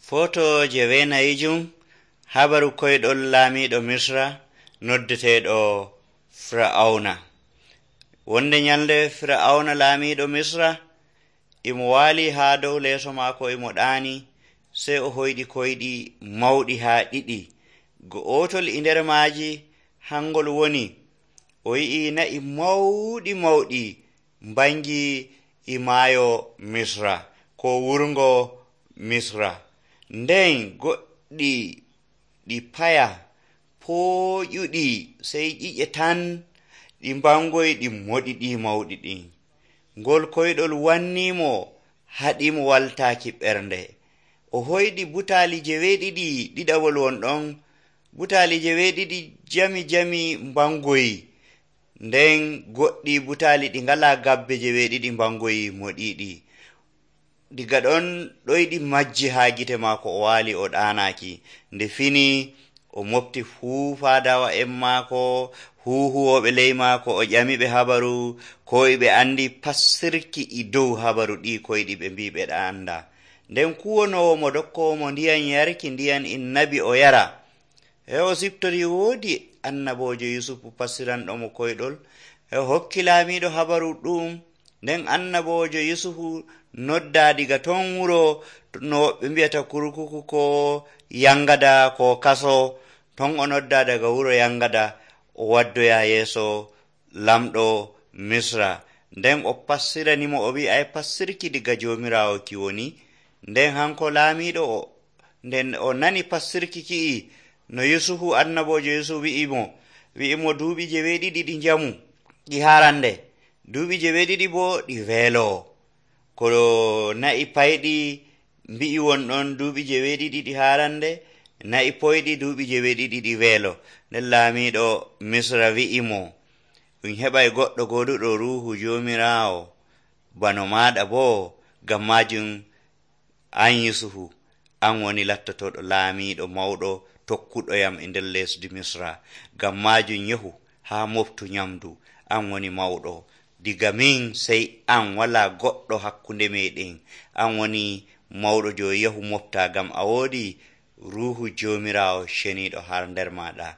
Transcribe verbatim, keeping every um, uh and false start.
Foto je weenayijum habaru koyɗol laamiiɗo Misra noddeteeɗo Fir'auna. Wonde nyalde Fir'auna laamiiɗo Misra imo waali haa dow leeso maako imo ɗaani, sey o hoyɗi koyɗi mawɗi haa ɗiɗi. Go'otol e nder maaji hangol woni o yi'i na'i mawɗi mawɗi mbangi e maayo Misra ko wurngo Misra. Nden goɗɗi ɗi paya pooƴuɗi sey ƴiƴe tan ɗi mbangoyi ɗi moɗi ɗi mawɗi ɗin. Ngol koyɗol wannimo haɗimo waltaaki ɓernde. O hoyɗi butaali jeweeɗiɗi ɗiɗawol won ɗon, butaali jeweeɗiɗi jami jami mbangoyi, nden goɗɗi butaali ɗi ngalaa gabbe jeweeɗiɗi mbangoyi moɗiɗi. Diga ɗon ɗoyɗi majji haa gite maako, o waali o ɗaanaaki. Nde fini o mofti fuu faadawa en maako, huuhuwooɓe ley maako, o ƴamiɓe habaru ko ɓe andi passirki e dow habaru ɗi koyɗi ɓe mbi ɓe anda. Nden kuwonowo mo dokkowo mo ndiyam yarki ndiyam innabi o yara. E o siftori woodi annabojo Yusufu passiranɗo mo koyɗol, e o hokki laamiiɗo habaru ɗum. Nden annabojo Yusufu nodda diga ton wuro no ɓe mbiyata kurkuku ko yangada ko kaso, ton o nodda daga wuro yangada o waddoya yeeso lamɗo Misra. Nden o passiranimo o wi ay passirki diga Joomiraawo ki woni. Nden hanko laamiiɗo o nden o nani passirki ki'i no Yusufu annabojo Yusufu wi'imo wi'imo duuɓi jeweeɗiɗi ɗi njamu ɗi harande, duuɓi jeweeɗiɗi bo ɗi weelo. Ko na'i payɗi mbi'i won ɗon duuɓi jeweeɗiɗi ɗi harande, na'i poyɗi duuɓi jeweeɗiɗi ɗi weelo. Nden laamiiɗo Misra wi'imo, ɗum heɓay goɗɗo goduɗo ruuhu Joomiraawo bano maaɗa boo, ngam majum an Yusufu an woni lattotoɗo laamiiɗo mawɗo tokkuɗoyam e nder lesdi Misra. Ngam majum yahu haa moftu nyamdu, an woni mawɗo. Diga min sey an, walaa goɗɗo hakkunde meɗen, an woni mawɗo jo yahu mofta, ngam a woodi ruuhu Joomiraawo ceniiɗo har nder maɗa.